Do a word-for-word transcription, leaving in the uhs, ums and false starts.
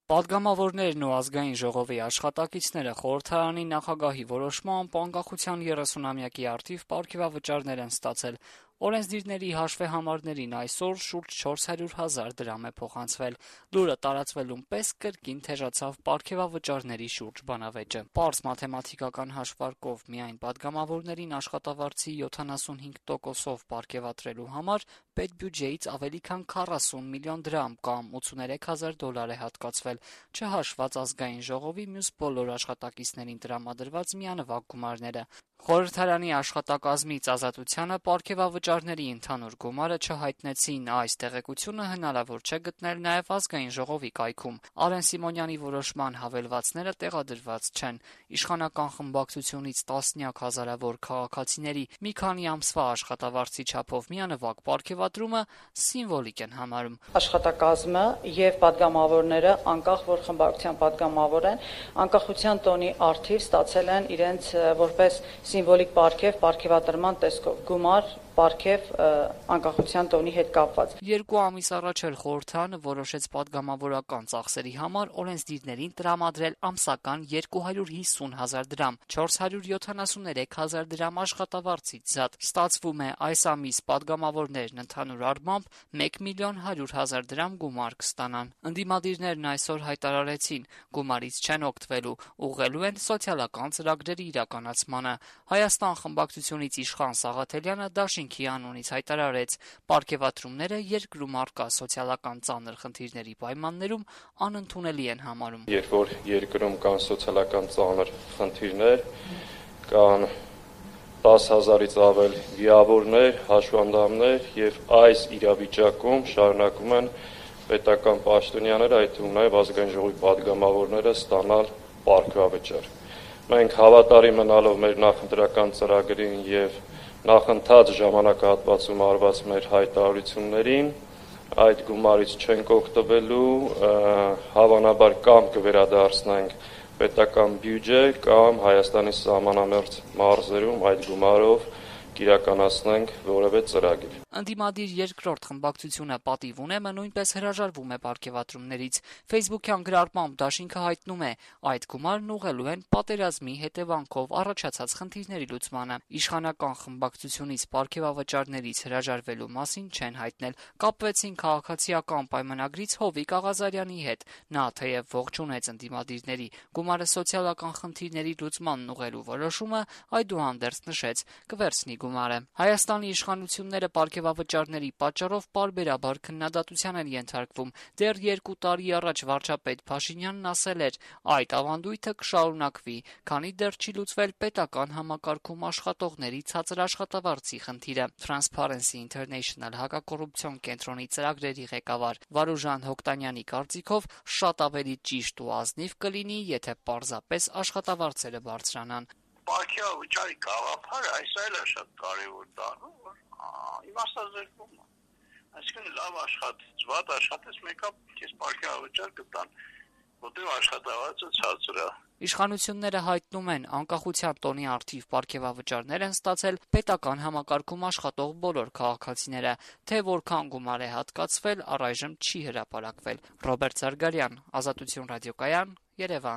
Պատգամավորներն ու ազգային ժողովի աշխատակիցները խորհրդարանի նախագահի որոշմամբ անկախության երեսունամյակի առթիվ պարգևավճարներ են ստացել։ Օրենսդիրների հաշվեհամարներին այսօր շուրջ չորս հարյուր հազար դրամ է փոխանցվել։ Լուրը տարածվելուն պես կրկին թեժացավ պարգևավճարների շուրջ բանավեճը։ Պարզ մաթեմատիկական հաշվարկով միայն պատգամավորներին աշխատավարձի յոթանասունհինգ տոկոսով պարգևատրելու համար պետբյուջեից ավելի քան քառասուն միլիոն դրամ կամ ութսուներեք հազար դոլար է հատկացվել, չհաշված ազգային ժողովի մյուս բոլոր աշխատակիցներին տրամադրված միանվագ գումարները։ Խորհրդարանի աշխատակազմից Ազատությանը պարգևավճարների ընդհանուր գումարը չհայտնեցին, այս տեղեկությունը հնարավոր չէ գտնել նաև ազգային ժողովի կայքում։ Արեն Սիմոնյանի որոշման հավելվածները տեղադրված չեն։ Իշխանական խմբակցությունից տասնյակ հազարավոր քաղաքացիների մի քանի ամսվա աշխատավարձի չափով միանվագ պարգևատրումը սիմվոլիկ են համարում։ Աշխատակազմը եւ պատգամավորները, անկախ որ խմբակցության պատգամավոր են, անկախության տոնի առթիվ ստացել են իրենց որպես սիմվոլիկ պարգև, պարգևատրման տեսքով գումար, պարգև անկախության տոնի հետ կապված։ Երկու ամիս առաջ էլ խորհրդարանը որոշեց պատգամավորական ծախսերի համար օրենսդիրներին տրամադրել ամսական երկու հարյուր հիսուն հազար դրամ, չորս հարյուր յոթանասուներեք հազար դրամ աշխատավարձից զատ։ Ստացվում է, այս ամիս պատգամավորներն ընդհանուր առմամբ մեկ միլիոն հարյուր հազար դրամ գումար կստանան։ Ընդդիմադիրներն այսօր հայտարարեցին, գումարից չեն օգտվելու, ուղղելու են սոցիալական ծրագրերի իրականացմանը։ Հայաստան խմբակցությունից իշխան Սաղաթելյանը Դաշինքի անունից հայտարարեց, պարգևատրումները երկրում առկա սոցիալական ծանր խնդիրների պայմաններում անընդունելի են համարում։ Երբ որ երկրում կան սոցիալական ծանր խնդիրներ, կան տասը հազարից ավել վիավորներ, հաշվանդամներ եւ այս իրավիճակում շարունակում են պետական պաշտոնյաները, այդ թվում նաեւ ազգային ժողովի պատգամավորները ստանալ պարգևավճար։ Մենք հավատարիմ մնալով մեր նախընտրական ծրագրին եւ նախընթաց ժամանակահատվածում արված մեր հայտարարություններին, այդ գումարից չենք օգտվելու, հավանաբար կամ կվերադարձնենք պետական բյուջե կամ Հայաստանի սահմանամերձ մարզերում այդ գումարով կիրականացնենք որևէ ծրագիր։ Ընդդիմադիր երկրորդ խմբակցությունը Պատիվ ունեմը նույնպես հրաժարվում է պարգևատրումներից։ Facebook-յան գրառմամբ Դաշինքը հայտնում է, այդ գումարն ուղղելու են պատերազմի հետևանքով առաջացած խնդիրների լուծմանը։ Իշխանական խմբակցությունից պարգևավճարներից հրաժարվելու մասին չեն հայտնել։ Կապվեցին քաղաքացիական պայմանագրից Հովիկ Աղազարյանի հետ։ Նա թեև ողջունեց ընդդիմադիրների գումարը սոցիալական խնդիրների լուծմանն ուղղելու որոշումը, այդուհանդերձ նշեց, կվերցնի գումարը։ Հայաստանի իշխանությունները պարգևավճարների պատճառով պարբերաբար քննադատության են ենթարկվում։ Դեռ երկու տարի առաջ վարչապետ Փաշինյանն ասել էր, այդ ավանդույթը կշարունակվի, քանի դեռ չի լուծվել պետական համակարգում աշխատողների ցածր աշխատավարձի խնդիրը։ Transparency International հակակոռուպցիոն կենտրոնի ծրագրերի ղեկավար Վարուժան Հոկտանյանի կարծիքով շատ ավելի ճիշտ ու ազնիվ կլինի, եթե պարզապես աշխատավարձերը բարձրանան։ Պարգևավճարի գաղափարը այսօր է շատ կարևոր դառնում, որ իմաստազրկվում է։ Այսինքն լավ աշխատես, վատ աշխատես, մեկը քեզ պարգևավճար կտան, որտեղ աշխատավարձը ցածր է։ Իշխանությունները հայտնում են, անկախության տոնի առթիվ պարգևավճարներ են ստացել պետական համակարգում աշխատող բոլոր քաղաքացիները, թե որքան գումար է հատկացվել, առայժմ չի հրապարակվել։ Ռոբերտ Զարգարյան, Ազատություն ռադիոկայան, Երևան։